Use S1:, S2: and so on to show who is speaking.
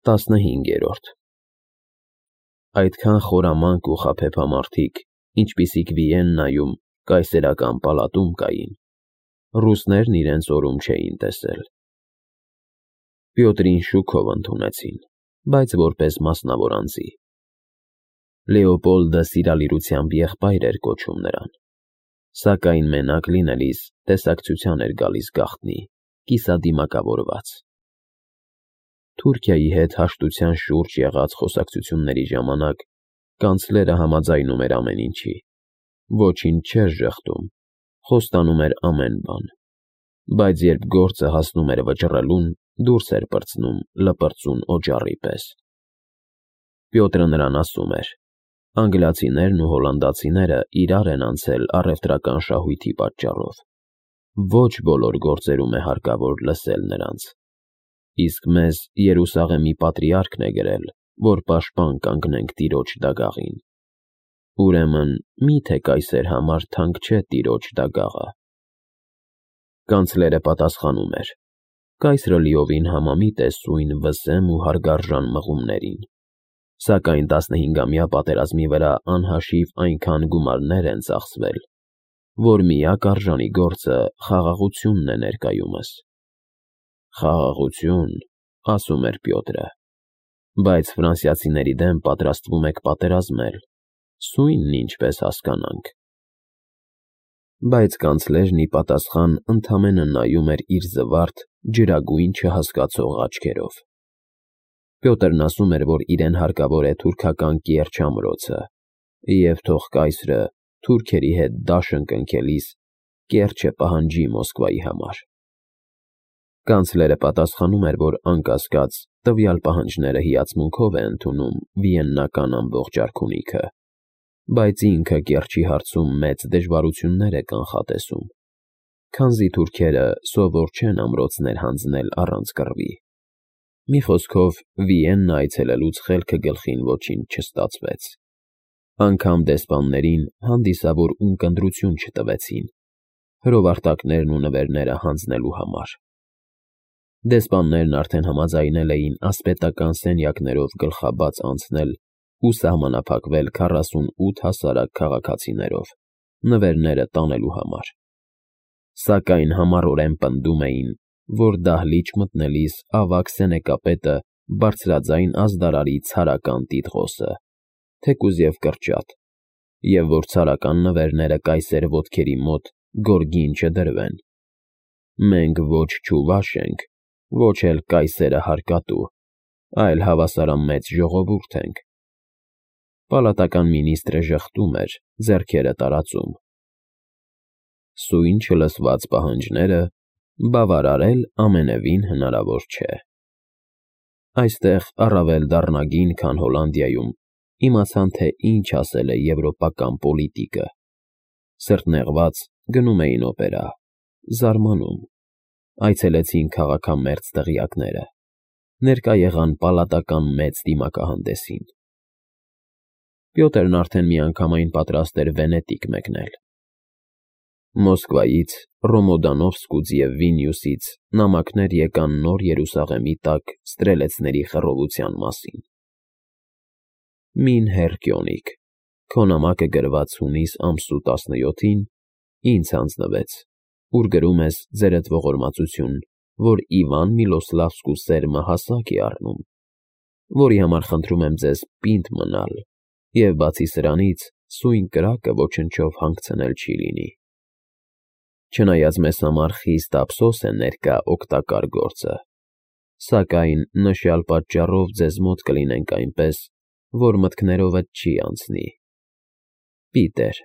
S1: 15 Այդքան խորամանկ ու խաբեբամարդիկ, ինչպիսիք Վիեննայում, կայսերական պալատում կային, ռուսներն իրենց օրում չէին տեսել։ Պյոտրին շուքով ընդունեցին, բայց որպես մասնավոր անձի։ Լեոպոլդը սիրալիրությամբ եղբայր էր կոչում նրան, սակայն մենակ լինելիս տեսակցության էր գալիս գաղտնի, կիսադիմակավորված։ Թուրքիայի հետ հաշտության շուրջ եղած խոսակցությունների ժամանակ կանցլերը համաձայնում էր ամեն ինչի, ոչինչ չէր ժխտում, խոստանում էր ամեն բան, բայց երբ գործը հասնում էր վճռելուն, դուրս էր պրծնում լպրծուն օջառի պես։ Պյոտրը նրան ասում էր. անգլիացիներն ու հոլանդացիները իրար են անցել առևտրական շահույթի պատճառով, ոչ բոլոր գործերում է հարկավոր լսել նրանց, իսկ մեզ Երուսաղեմի պատրիարքն է գրել, որ պաշտպան կանգնենք տիրոջ դագաղին, ուրեմն մի՞թե կայսեր համար թանկ չէ տիրոջ դագաղը։ Կանցլերը պատասխանում էր. կայսրը լիովին համամիտ է սույն վսեմ ու հարգարժան մղումներին, սակայն 15-ամյա պատերազմի վրա անհաշիվ այնքան գումարներ են ծախսվել, որ միակ արժանի գործը խաղաղությունն է ներկայումս։ Խաղաղություն, ասում էր Պյոտրը, բայց ֆրանսիացիների դեմ պատրաստվում եք պատերազմել, սույնն ինչպես հասկանանք։ Բայց կանցլերն ի պատասխան ընդամենը նայում էր իր զվարթ, ջրագույն չհասկացող աչքերով։ Պյոտրն ասում էր, որ իրեն հարկավոր է թուրքական կիրճ ամրոցը, և թող կայսրը թուրքերի հետ դաշն կնքելիս կիրճը պահանջի Մոսկվայի համար։ Կանցլերը պատասխանում էր, որ անկասկած տվյալ պահանջները հիացմունքով է ընդունում վիեննական ամբողջ արքունիքը, բայց ինքը կիրճի հարցում մեծ դժվարություններ է կանխատեսում, քանզի թուրքերը սովոր չեն ամրոցներ հանձնել առանց կռվի։ Մի խոսքով, Վիեննա այցելելուց խելքը գլխին ոչինչ չստացվեց։ Անգամ դեսպաններին հանդիսավոր ունկնդրություն չտվեցին, հրովարտակներն ու նվերները հանձնելու համար։ Դեսպաններն արդեն համաձայնել էին ասպետական սենյակներով գլխաբաց անցնել ու սահմանափակվել 48 հասարակ քաղաքացիներով, նվերները տանելու համար։ Սակայն համառորեն պնդում էին, որ դահլիճ մտնելիս ավագ սենեկապետը բարձրաձայն ազդարարի ցարական տիտղոսը, թեկուզ և կրճատ, և որ ցարական նվերները կայսեր ոտքերի մոտ գորգին չդրվեն։ Մենք ոչ չուվաշ ենք, ոչ էլ կայսերը հարկատու, այլ հավասարամեծ ժողովուրդ ենք։ Պալատական մինիստրը ժխտում էր, ձեռքերը տարածում։ Սույն չլսված պահանջները բավարարել ամենևին հնարավոր չէ։ Այստեղ առավել դառնագին, քան Հոլանդիայում, իմացան, թե ինչ ասել է եվրոպական պոլիտիկը։ Սրտնեղված գնում էին օպերա, զարմանում, այցելեցին քաղաքամերձ տեղյակները, ներկա եղան պալատական մեծ դիմակահանդեսին։ Պյոտրն արդեն միանգամայն պատրաստ էր Վենետիկ մեկնել։ Մոսկվայից, Ռոմոդանովսկուց և Վիլնյուսից նամակներ եկան նոր Երուսաղեմի տակ ստրելեցների խռովության մասին։ Մին Հերկյոնիկ, քո նամակը գրված հունիս ամսու 17-ին ինձ հանձնվեց, ուր գրում ես ձերդ ողորմածություն, որ Իվան Միլոսլավսկու սերմը հասակ է առնում, որի համար խնդրում եմ ձեզ պինդ մնալ, և բացի սրանից սույն կրակը ոչնչով հանգցնել չի լինի։ Չնայած մեզ համար խիստ ափսոս է ներկա օգտակար գործը, սակայն նշյալ պատճառով ձեզ մոտ կլինենք այնպես, որ մտքներովդ չի անցնի։ Պիտեր։